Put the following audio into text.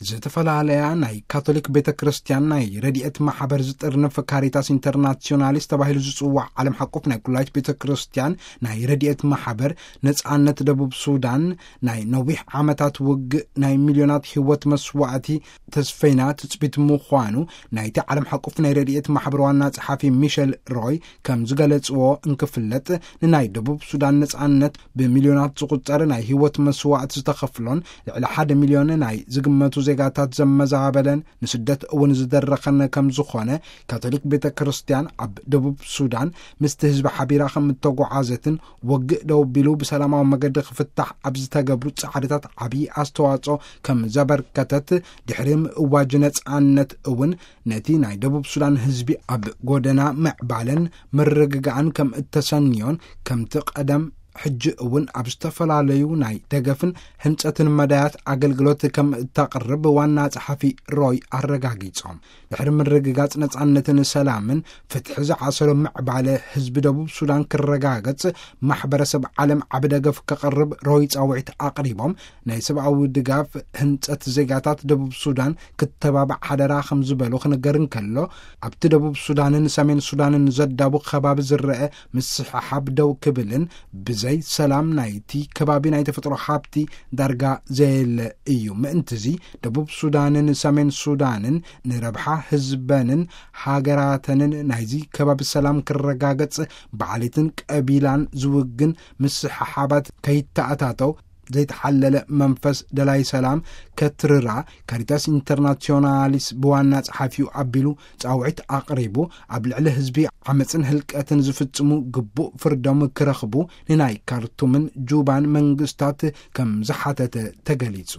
ዝተፈላለያ ናይ ካቶሊክ ቤተ ክርስቲያን ናይ ረድኤት ማሕበር ዝጥርንፍ ካሪታስ ኢንተርናሲዮናሊስ ተባሂሉ ዝጽዋዕ ዓለም ሓቆፍ ናይ ኩላይት ቤተ ክርስቲያን ናይ ረድኤት ማሕበር፣ ነጻነት ደቡብ ሱዳን፣ ናይ ነዊሕ ዓመታት ውግእ፣ ናይ ሚልዮናት ህይወት መስዋዕቲ ተስፈይና ትጽቢት ምዃኑ ናይቲ ዓለም ሓቆፍ ናይ ረድኤት ማሕበር ዋና ጸሓፊ ሚሸል ሮይ ከም ዝገለጽዎ እንክፍለጥ፣ ንናይ ደቡብ ሱዳን ነጻነት ብሚልዮናት ዝቑጸር ናይ ህይወት መስዋዕቲ ዝተኸፍሎን ልዕሊ ሓደ ሚልዮን ናይ ዝግመቱ ዜጋታት ዘመዛበለን ንስደት እውን ዝደረኸን ከም ዝኾነ፣ ካቶሊክ ቤተ ክርስቲያን ኣብ ደቡብ ሱዳን ምስቲ ህዝቢ ሓቢራ ከም እተጓዓዘትን፣ ወግእ ደው ቢሉ ብሰላማዊ መገዲ ክፍታሕ ኣብ ዝተገብሩ ጻዕርታት ዓብዪ ኣስተዋጽኦ ከም ዘበርከተት፣ ድሕሪ ምእዋጅ ነጻነት እውን ነቲ ናይ ደቡብ ሱዳን ህዝቢ ኣብ ጎደና ምዕባለን ምርግጋእን ከም እተሰንዮን፣ ከምቲ ቀደም ሕጂ እውን ኣብ ዝተፈላለዩ ናይ ደገፍን ህንጸትን መዳያት ኣገልግሎት ከም እታቕርብ ዋና ጸሓፊ ሮይ ኣረጋጊጾም። ድሕሪ ምርግጋጽ ነጻነትን ሰላምን፣ ፍትሒ ዝዓሰሎ ምዕባለ ህዝቢ ደቡብ ሱዳን ክረጋገጽ፣ ማሕበረሰብ ዓለም ዓቢ ደገፍ ከቕርብ ሮይ ጻውዒት ኣቕሪቦም፣ ናይ ሰብኣዊ ድጋፍ ህንጸት ዜጋታት ደቡብ ሱዳን ክተባባዕ ሓደራ ከም ዝበሉ ክንገር እንከሎ፣ ኣብቲ ደቡብ ሱዳንን ሰሜን ሱዳንን ዘዳቡ ከባቢ ዝረአ ምስሕሓብ ደው ክብልን፣ ብዘይ ሰላም ናይቲ ከባቢ ናይ ተፈጥሮ ሃብቲ ዳርጋ ዘየለ እዩ። ምእንትዚ ደቡብ ሱዳንን ሰሜን ሱዳንን ንረብሓ ህዝበንን ሃገራተንን ናይዚ ከባቢ ሰላም ክረጋገጽ፣ ብዓሌትን ቀቢላን ዝውግን ምስሕሓባት ከይተኣታተው፣ ዘይተሓለለ መንፈስ ደላይ ሰላም ከትርራ፣ ካሪታስ ኢንተርናሲዮናሊስ ብዋና ጸሓፊኡ ኣቢሉ ጻውዒት ኣቕሪቡ፣ ኣብ ልዕሊ ህዝቢ ዓመጽን ህልቀትን ዝፍጽሙ ግቡእ ፍርዶም ክረኽቡ ንናይ ካርቱምን ጁባን መንግስታት ከም ዝሓተተ ተገሊጹ።